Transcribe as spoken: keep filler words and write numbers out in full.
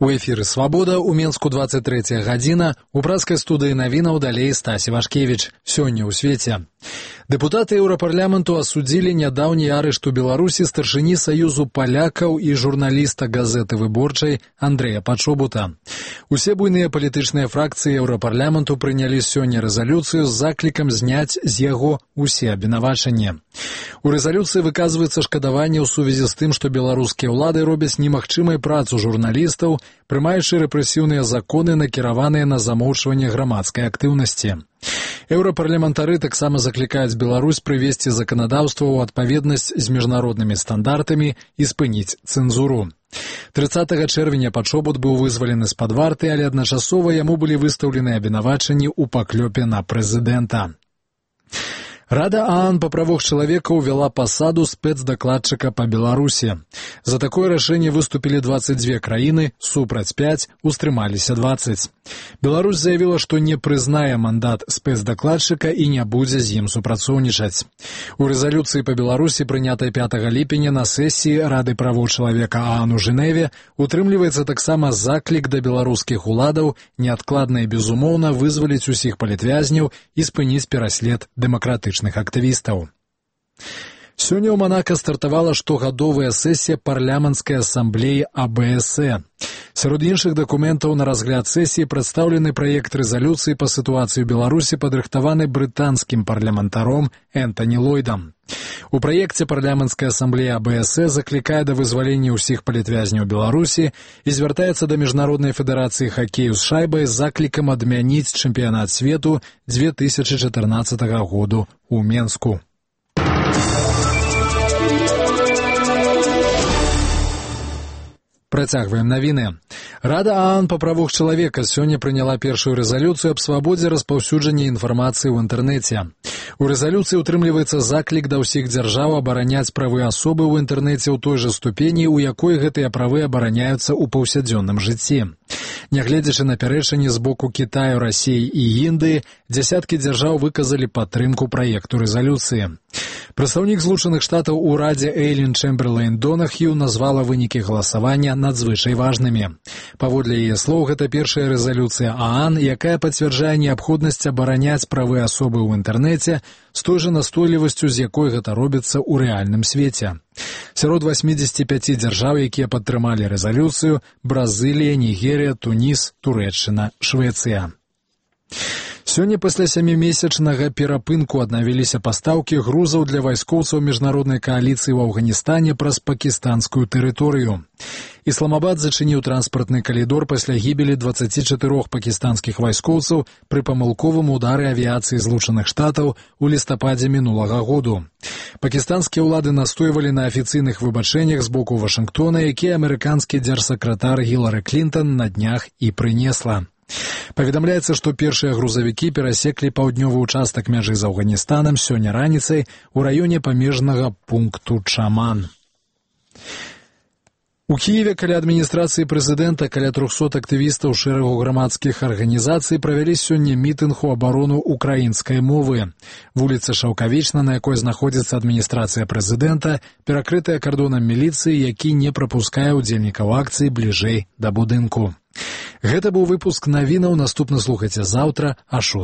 У эфіры «Свабода» у Менску двадцать третья гадзіна, у праскай студыі навінаў далей Стась Івашкевіч. Сёння ў свеце. Дэпутаты Еўрапарламенту асудзілі нядаўні арышт у Беларусі старшыні Саюзу палякаў і журналіста газеты «Выборчай» Андрэя Пачобута. Усе буйныя палітычныя фракцыі Еўрапарламенту прынялі сёння рэзалюцыю з заклікам зняць з яго усе абвінавачанні. У рэзалюцыі выказваецца шкадаванне ў сувязі з тым, што беларускія ўлады робяць немагчымай працу журналістаў, прымаючы рэпрэсіўныя законы, накіраваныя на замоўчванне грамадскай актыўнасці. Еўрапарламентары таксама заклікаюць Беларусь прывесці заканадаўства ў адпаведнасць з міжнароднымі стандартамі і спыніць цэнзуру. трыццатага чэрвеня Пачобут быў вызвалены з-пад варты, але адначасова яму былі выстаўлены абвінавачанні ў паклёпе на прэзідэнта. Рада ААН па правах чалавека ўвяла пасаду спецдакладчыка па Беларусі. За такое рашэнне выступілі двадцать две краіны, супраць пяць, устрымаліся двадцать. Беларусь заявіла, што не прызнае мандат спецдакладчыка і не будзе з ім супрацоўнічаць. У рэзалюцыі па Беларусі, прынятай пятага ліпеня на сесіі Рады правоў чалавека ААН у Жэневе, утрымліваецца таксама заклік да беларускіх уладаў неадкладна і безумоўна вызваліць усіх палітвязняў і спыніць пераслед дэмакратычных актывістаў. Сёння ў Манака стартавала штогадовая сесія парламенцкай асамблеі А Бэ Эс Э. Сярод іншых дакументаў на разгляд сесіі прадстаўлены праект рэзалюцыі па сітуацыі ў Беларусі, падрыхтаваны брытанскім парламентаром Энтані Ллойдам. У праекце парламенцкая асамблея А Бэ Эс Э заклікае да вызвалення ўсіх палітвязняў Беларусі і звяртаецца да міжнароднай федэрацыі хакею з шайбай з заклікам адмяніць чэмпіянат свету дзве тысячы чатырнаццатага году ў Менску. Працягваем навіны. Рада ААН па правах чалавека сёння прыняла першую рэзалюцыю аб свабодзе распаўсюджання інфармацыі ў інтэрнэце. У рэзалюцыі ўтрымліваецца заклік да ўсіх дзяржаў абараняць правы асобы ў інтэрнэце ў той жа ступені, у якой гэтыя правы абараняюцца ў паўсядзённым жыцці. Нягледзячы на пярэчанні з боку Кітаю, Расіі і Індыі, дзясяткі дзяржаў выказалі падтрымку праекту рэзалюцыі. Прадстаўнік Злучаных Штатаў у Радзе Эйлін Чэмберлейн Донахью назвала вынікі галасавання надзвычай важнымі. Паводле яе слоў, гэта першая рэзалюцыя ААН, якая пацвярджае неабходнасць абараняць правы асобы ў інтэрнэце з той жа настойлівасцю, з якой гэта робіцца ў рэальным свеце. Сярод васьмідзесяці пяці дзяржаў, якія падтрымалі рэзалюцыю, Бразылія, Нігерія, Туніс, Турэччына, Швецыя. Сёння пасля сямімесячнага перапынку аднавіліся пастаўкі грузаў для вайскоўцаў міжнароднай кааліцыі ў Афганістане праз пакістанскую тэрыторыю. Ісламабад зачыніў транспартны калідор пасля гібелі дваццаці чатырох пакістанскіх вайскоўцаў пры памылковым удары авіяцыі Злучаных Штатаў у лістападзе мінулага году. Пакістанскія ўлады настойвалі на афіцыйных выбачэннях з боку Вашынгтона, якія амерыканскі дзяржсакратар Гілары Клінтан на днях і прынесла. Паведамляецца, што першыя грузавікі перасеклі паўднёвы ўчастак мяжы з Афганістанам сёння раніцай у раёне памежнага пункту Чаман. У Кіеве каля адміністрацыі прэзідэнта каля трохсот актывістаў шэрагу грамадскіх арганізацый правялі сёння мітынг у абарону украінскай мовы. Вуліца Шаўкавічна, на якой знаходзіцца адміністрацыя прэзідэнта, перакрытая кардонам міліцыі, які не прапускае ўдзельнікаў акцыі бліжэй да будынку. Гэта быў выпуск навінаў, наступны слухайце заўтра а шостай.